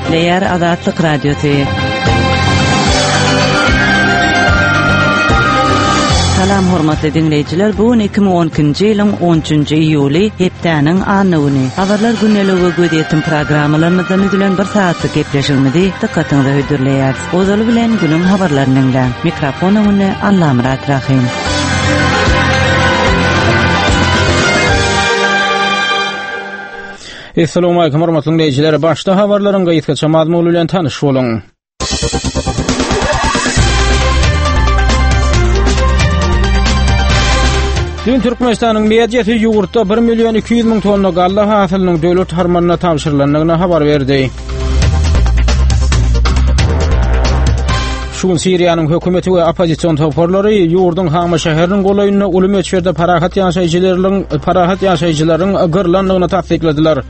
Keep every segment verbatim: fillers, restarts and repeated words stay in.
Gepleýär Azatlyk Radiosy. Salam hormatly diňleýjiler. Bu gün iki müň on ikinji ýylyň on üçünji iýuly, hepdäniň anna güni. Habarlar gündeligi we gözýetim programmalarymyzdan düzülen bir saatlyk gepleşigimizi dykgatyňyza hödürleýäris. Ozaly bilen günüň habarlaryny diňläň. Mikrofon öňünde Allamyrat Rahim. Assalamu alaykum hormatly dinleýjiler. Başda habarlaryň gysgaça mazmuny bilen tanyş boluň. Dün Türkmenistanyň mediasy ýurtda bir million iki ýüz müň tonna galla hasylynyň döwlet harmanyna tabşyrylandygyny habar berdi. Şu gün Siriýanyň hökümeti we oppozision toparlary ýurduň Hama şäheriniň golaýynda uly möçberde parahat ýaşaýjylaryň, parahat ýaşaýjylaryň gyrlandygyny tassykladylar.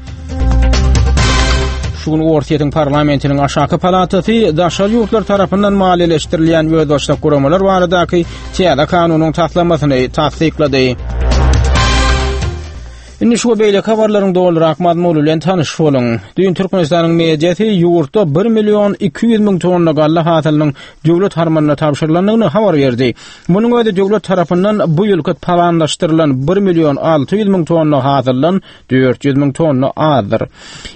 Şu gün Orsýetiň parlamentiniň aşaky palatasy daşary ýurtlar tarapyndan maliýeleşdirilýän özbaşdak guramalar baradaky täze kanunyň taslamasyny tassyklady. Indi şu beýleki habarlaryň dolurak mazmuny bilen tanyş boluň. Dün Türkmenistanyň mediasy ýurtda bir million iki ýüz müň tonna galla hasylynyň döwlet harmanyna tabşyrylandygyny habar berdi. Munuň özi döwlet tarapyndan bu ýylky planlaşdyrylan bir million alty ýüz müň tonna hasyldan dört ýüz müň tonna azdyr.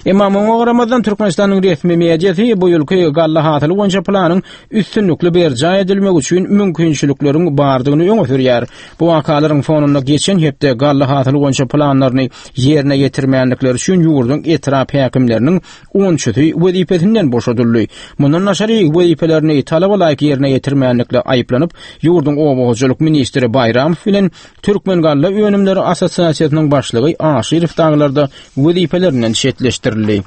Emma muňa garamazdan Türkmenistanyň resmi mediasy bu ýylky galla hasyly boýunça planyň üstünlikli berjaý edilmegi üçin mümkinçilikleriň bardygyny öňe sürýär. Bu wakalaryň fonunda geçen hepde galla hasyly boýunça planlaryny ýerine ýetirmänlikleri üçin ýurduň etrap häkimleriniň onçusy wezipesinden boşadyldy. Mundan daşary wezipelerini talaba laýyk ýerine ýetirmänlikle aýyplanyp, ýurduň oba hojalyk ministri Baýramow bilen Türkmen Galla Önümleri Assosiasiýasynyň başlygy Aşyrow daglarda wezipelerinden çetleşdirildi.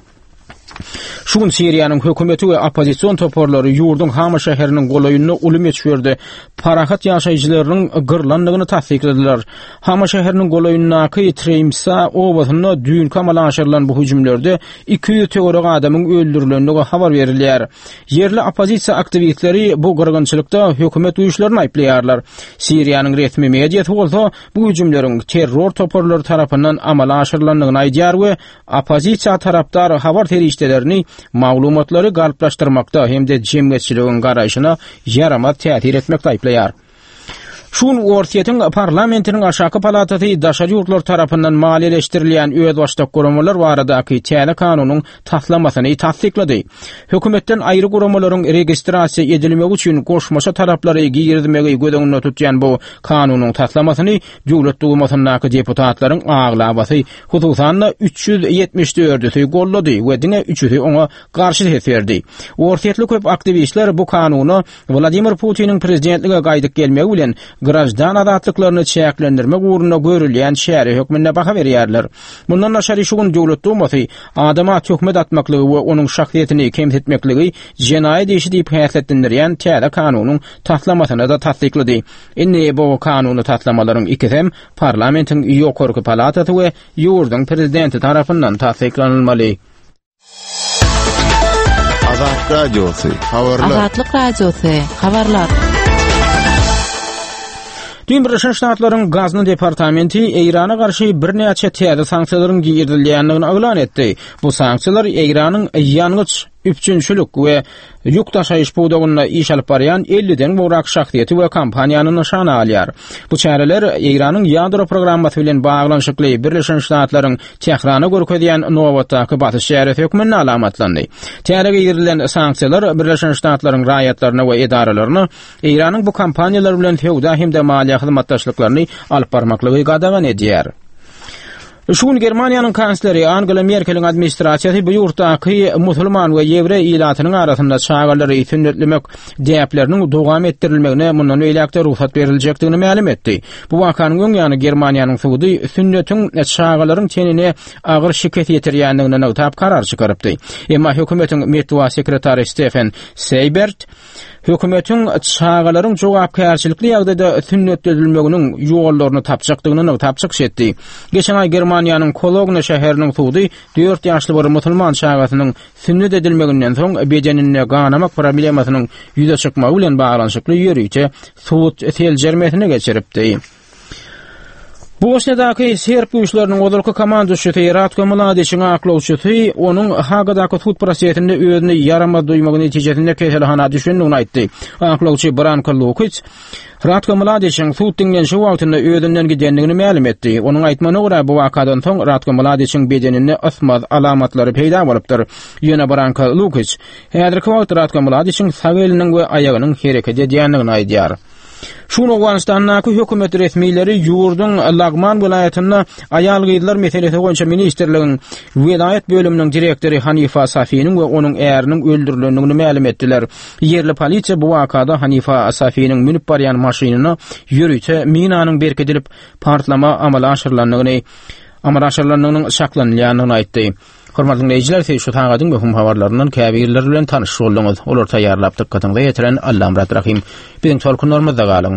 Şu gün Siriýanyň hökümeti we oppozision toparlary ýurduň Hama şäheriniň golaýynda uly möçberde parahat ýaşaýjylarynyň gyrlandygyny tassykladylar. Hama şäheriniň golaýyndaky Treýmsa obasynda düýnki amala aşyrylan bu hüjümlerde iki ýüz töwerek adamyň öldürilendigi habar berilýär. Ýerli oppozisiýa aktiwistleri bu gyrgynçylykda hökümet güýçlerini aýyplaýarlar. Siriýanyň resmi mediasy bolsa bu hüjümleriň terror toparlary tarapyndan amala aşyrylandygyny aýdýar we oppozisiýa tarapdar habar serişdelerini maglumatlary galplaşdyrmakda hem-de jemgyýetçiligiň garaýşyna ýaramaz täsir etmekde aýyplaýar. Şu gün Orsýetiň parlamentiniň aşaky palatasy daşary ýurtlar tarapyndan maliýeleşdirilýän özbaşdak guramalar baradaky täze kanunyň taslamasyny tassyklady. Hökümetden aýry guramalaryň registrasiýa edilmegi üçin goşmaça talaplary girizmegi göz öňünde tutýan bu kanunyň taslamasyny Döwlet Dumasyndaky deputatlaryň aglabasy, hususan-da üç ýüz ýetmiş dördüsi gollady we diňe üçüsi oňa garşy ses berdi. Orsýetli köp aktiwistler bu kanuna Wladimir Putiniň prezidentlige gaýdyp gelmegi bilen graždan azatlyklaryny çäklendirmek ugrunda görülýän çäre hökmünde baha berýärler. Mundan daşary şu gün Döwlet Dumasy adama töhmet atmaklygy we onuň şahsyýetini kemsitmekligi jenaýat işi diýip häsiýetlendirýän täze kanunyň taslamasyny da tassyklady. Indi bu kanuny taslamalaryň ikisem parlamentiň ýokarky palatasy we ýurduň prezidenti tarapyndan tassyklanylmaly. Azat Radiosy, habarlar. Azatlyk Radiosy, habarlar. Dün Birleşen Ştatlaryň Gazna departamenti Eýrana garşy birnäçe täze sanksiýalaryň girizilýändigini yglan etdi. Bu sanksiýalar Eýranyň ýangyç, üpjünçilik we ýük daşaýyş pudagynda iş alyp barýan elliden gowrak şahsyýeti we kompaniýany nyşana alýar. Bu çäreler Eýranyň ýadro programmasy bilen baglanyşykly Birleşen Ştatlaryň Tährana görkezýän nobatdaky basyş çäresi hökmünde alamatlandy. Täze girizilen sanksiýalar Birleşen Ştatlaryň raýatlaryna we edaralaryna Eýranyň bu kompaniýalar bilen söwda hem-de maliýe hyzmatdaşlyklaryny alyp barmaklygy gadagan edýär. Şu gün Germaniýanyň kansleri Angela Merkeliň administrasiýasy bu ýurtdaky musulman we ýewreý ilatynyň arasynda çagalary sünnetlemek däpleriniň dowam etdirilmegine mundan beýläk-de rugsat beriljekdigini mälim etdi. Bu wakanyň öň ýany Germaniýanyň sudy sünnetiň çagalaryň tenine agyr şikes ýetirýändigini nygtap karar çykarypdy. Emma hökümetiň metbugat sekretary Stefen Seýbert hökümetiň çagalaryň jogapkärçilikli ýagdaýda sünnetledilmeginiň ýollaryny tapjakdygyny nygtap çykyş etdi. Geçen aý Germaniýanyň Kologna şäheriniň sudy dört ýaşly bir musulman çagasynyň sünnet edilmeginden soň bedeninde ganamak problemasynyň ýüze çykmagy bilen baglanyşykly ýörite sud seljermesini geçiripdi. Bosniýadaky serb güýçleriniň ozalky komanduşysy Ratko Mladiçiň aklawçysy onuň Hagadaky sud prosesinde özüni ýaramaz duýmagy netijesinde keselhana düşendigini aýtdy. Aklawçy Branko Lukic Ratko Mladiçiň sud diňlenişi wagtynda özünden gidendigini mälim etdi. Onuň aýtmagyna görä bu wakadan soň Ratko Mladiçiň bedeninde ysmaz alamatlary peýda bolupdyr. Ýöne Branko Lukic häzirki wagt Ratko Mladiçiň sag eliniň we aýagynyň hereket edýändigini aýdýar. Şu gün Owganystandaky hökümet resmileri ýurduň Lagman welaýatynda aýal-gyzlar meselesi boýunça ministrligiň welaýat bölüminiň direktory Hanifa Safiniň we onuň äriniň öldürilendigini mälim etdiler. Ýerli polisiýa bu wakada Hanifa Safiniň münüp barýan maşynyna ýörite minanyň berkidilip partlama amala aşyrylandygyny amala aşyrylandygynyň çaklanylýandygyny aýtdy. Hormatly dinleýjiler, siz şu sagadyň möhüm habarlaryndan käbirleri bilen tanyş bolduňyz. Olar taýýarlap dykgatyňyza ýetiren Allamyrat Rahim. Biziň tolkunlarymyzda galyň.